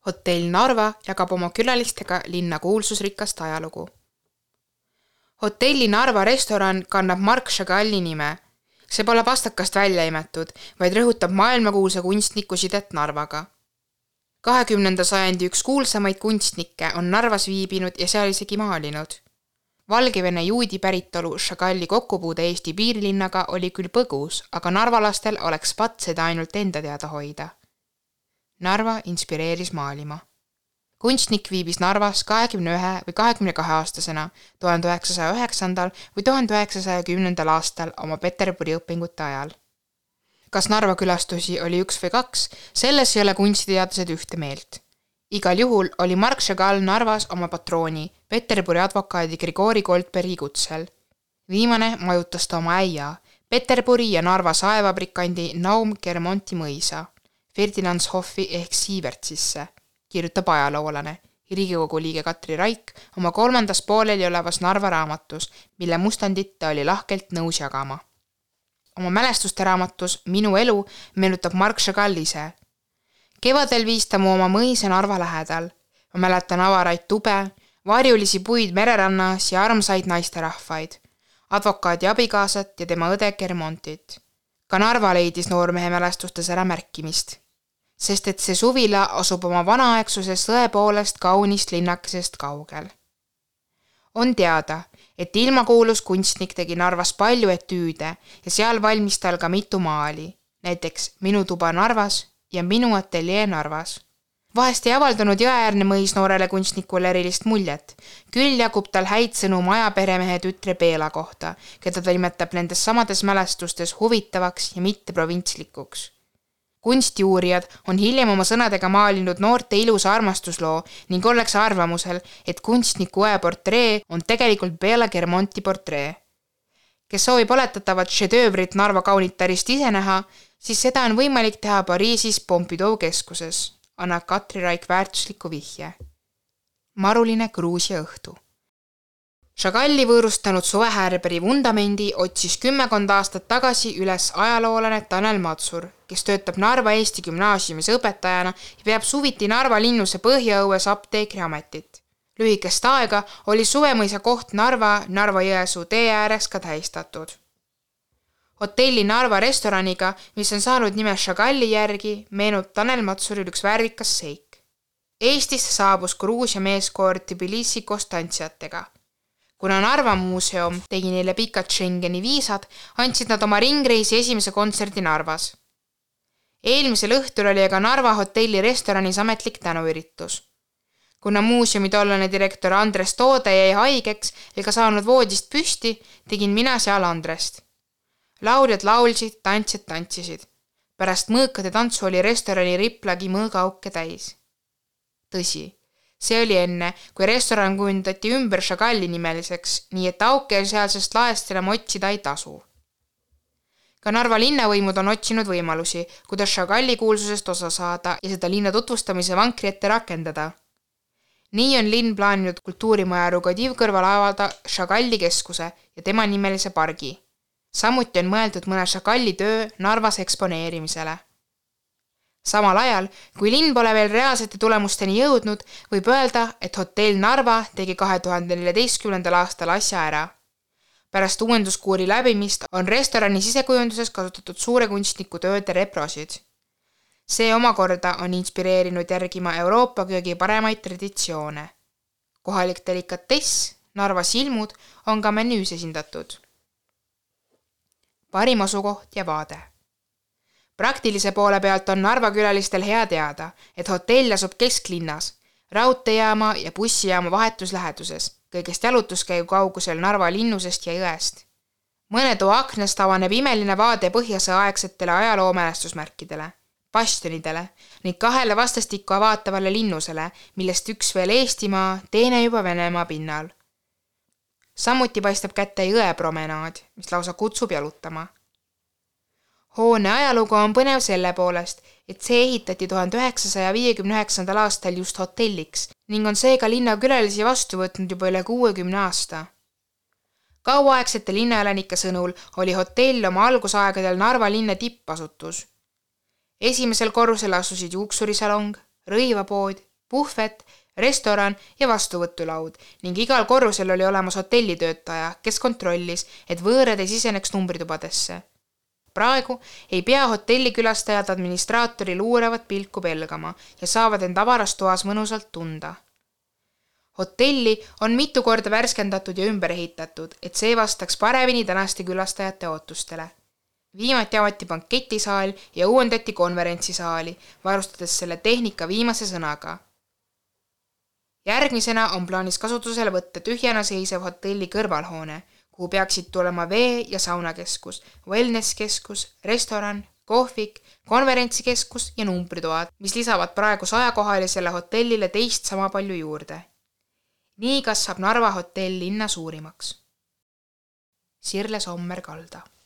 Hotell Narva jagab oma külalistega linna kuulsusrikast ajalugu. Hotelli Narva restoran kannab Marc Chagall'i nime. See pole pastakast välja imetud, vaid rõhutab maailmakuulsa kunstniku sidet Narvaga. 20. sajandi üks kuulsamaid kunstnikke on Narvas viibinud ja seal isegi maalinud. Valgevene juudi päritolu Chagall'i kokkupuude Eesti piirilinnaga oli küll põgus, aga narvalastel oleks pat seda ainult enda teada hoida. Narva inspireeris maalima. Kunstnik viibis Narvas 21 või 22 aastasena 1909. või 1910. aastal oma Peterburi õpingute ajal. Kas Narva külastusi oli 1 või 2, selles ei ole kunstiteadlased ühte meelt. Igal juhul oli Marc Chagall Narvas oma patrooni, Peterburi advokaadi Grigori Goldbergi kutsel. Viimane majutas ta oma äia, Peterburi ja Narva saevabrikandi Naum Kermonti mõisa, Ferdinandshoffi ehk Siivertsisse, kirjutab ajaloolane, Riigikogu liige Katri Raik oma 3. pooleli olevas Narva raamatus, mille mustandit ta oli lahkelt nõus jagama. Oma mälestuste raamatus Minu elu meenutab Marc Chagall ise. Kevadel viis ta mu oma mõisa Narva lähedal. Ma mäletan avaraid tube, varjulisi puid mererannas ja armsaid naisterahvaid, advokaadi abikaasat ja tema õde Kermontit. Ka Narva leidis noormehe mälestustes ära märkimist, sest et see suvila asub oma vanaaegsuses tõepoolest kaunist linnakesest kaugel. On teada, et ilmakuulus kunstnik tegi Narvas palju etüüde ja seal valmis tal ka mitu maali, näiteks Minu tuba Narvas ja Minu ateljee Narvas. Vahest ei avaldanud Jõeäärne mõis noorele kunstnikule erilist muljet, küll jagub tal häid sõnu majaperemehe tütre Peela kohta, keda ta nimetab nendes samades mälestustes huvitavaks ja mitte provintslikuks. Kunstiuurijad on hiljem oma sõnadega maalinud noorte ilusa armastusloo ning ollakse arvamusel, et kunstniku õe portree on tegelikult Bela Kermonti portree. Kes soovib oletatavat šedöövrit Narva kaunitarist ise näha, siis seda on võimalik teha Pariisis Pompidou keskuses, annab Katri Raik väärtusliku vihje. Maruline Gruusia õhtu. Chagalli võõrustanud suvehäärberi vundamendi otsis 10 aastat tagasi üles ajaloolane Tanel Matsur, kes töötab Narva Eesti gümnaasiumis õpetajana ja peab suviti Narva linnuse põhjaõues apteekriametit. Lühikest aega oli suvemõisa koht Narva Jõesuu tee ääres ka tähistatud. Hotelli Narva restoraniga, mis on saanud nime Chagalli järgi, meenub Tanel Matsuril üks värvikas seik. Eestisse saabus Gruusia meeskoor Tbilisi kostantsiatega. Kuna Narva muuseum tegi neile pikad Schengeni viisad, andsid nad oma ringreisi esimese kontserdi Narvas. Eelmisel õhtul oli aga Narva hotelli restoranis ametlik tänuüritus. Kuna muuseumi tollane direktor Andres Toode jäi haigeks ega saanud voodist püsti, tegin mina seal Andrest. Lauljad laulsid, tantsijad tantsisid. Pärast mõõkade tantsu oli restorani riplagi mõõgaauke täis. Tõsi, see oli enne, kui restoran kujundati ümber Chagalli nimeliseks, nii et auke sealsest laest enam otsida ei tasu. Ka Narva linnavõimud on otsinud võimalusi, kuidas Chagalli kuulsusest osa saada ja seda linna tutvustamise vankri ette rakendada. Nii on linn plaaninud kultuurimaja Rugodiv kõrval avada Chagalli keskuse ja tema nimelise pargi. Samuti on mõeldud mõne Chagalli töö Narvas eksponeerimisele. Samal ajal, kui linn pole veel reaalsete tulemusteni jõudnud, võib öelda, et hotell Narva tegi 2014. aastal asja ära. Pärast uuenduskuuri läbimist on restorani sisekujunduses kasutatud suure kunstniku tööde reprosid. See omakorda on inspireerinud järgima Euroopa köögi paremaid traditsioone. Kohalik delikatess, Narva silmud on ka menüüs esindatud. Parim asukoht ja vaade. Praktilise poole pealt on Narva külalistel hea teada, et hotell asub kesklinnas, raudteejaama ja bussijaama vahetus läheduses, kõigest jalutuskäigu kaugusel Narva linnusest ja jõest. Mõne too aknast avaneb imeline vaade põhjasõaaegsetele ajaloomälestusmärkidele, bastionidele ning 2 vastastikku avaatavale linnusele, millest üks veel Eestimaa, teine juba Venemaa pinnal. Samuti paistab kätte jõepromenaad, mis lausa kutsub jalutama. Hoone ajalugu on põnev selle poolest, et see ehitati 1959. aastal just hotelliks ning on seega linnakülalisi vastu võtnud juba üle 60 aasta. Kauaaegsete linnaelanike sõnul oli hotell oma algusaegadel Narva linna tippasutus. Esimesel korrusel asusid juuksurisalong, rõivapood puhvet, restoran ja vastuvõtulaud ning igal korrusel oli olemas hotellitöötaja, kes kontrollis, et võõrad ei siseneks numbritubadesse. Praegu ei pea hotellikülastajad administraatori luuravat pilku pelgama ja saavad end avaras toas mõnusalt tunda. Hotelli on mitu korda värskendatud ja ümber ehitatud, et see vastaks paremini tänaste külastajate ootustele. Viimati avati banketisaal ja uuendati konverentsisaali, varustades selle tehnika viimase sõnaga. Järgmisena on plaanis kasutusele võtta tühjana seisev hotelli kõrvalhoone, kuhu peaksid tulema vee- ja saunakeskus, wellnesskeskus, restoran, kohvik, konverentsikeskus ja numbritoad, mis lisavad praegu 100-kohalisele hotellile teist sama palju juurde. Nii kasvab Narva hotell linna suurimaks. Sirle Sommer-Kalda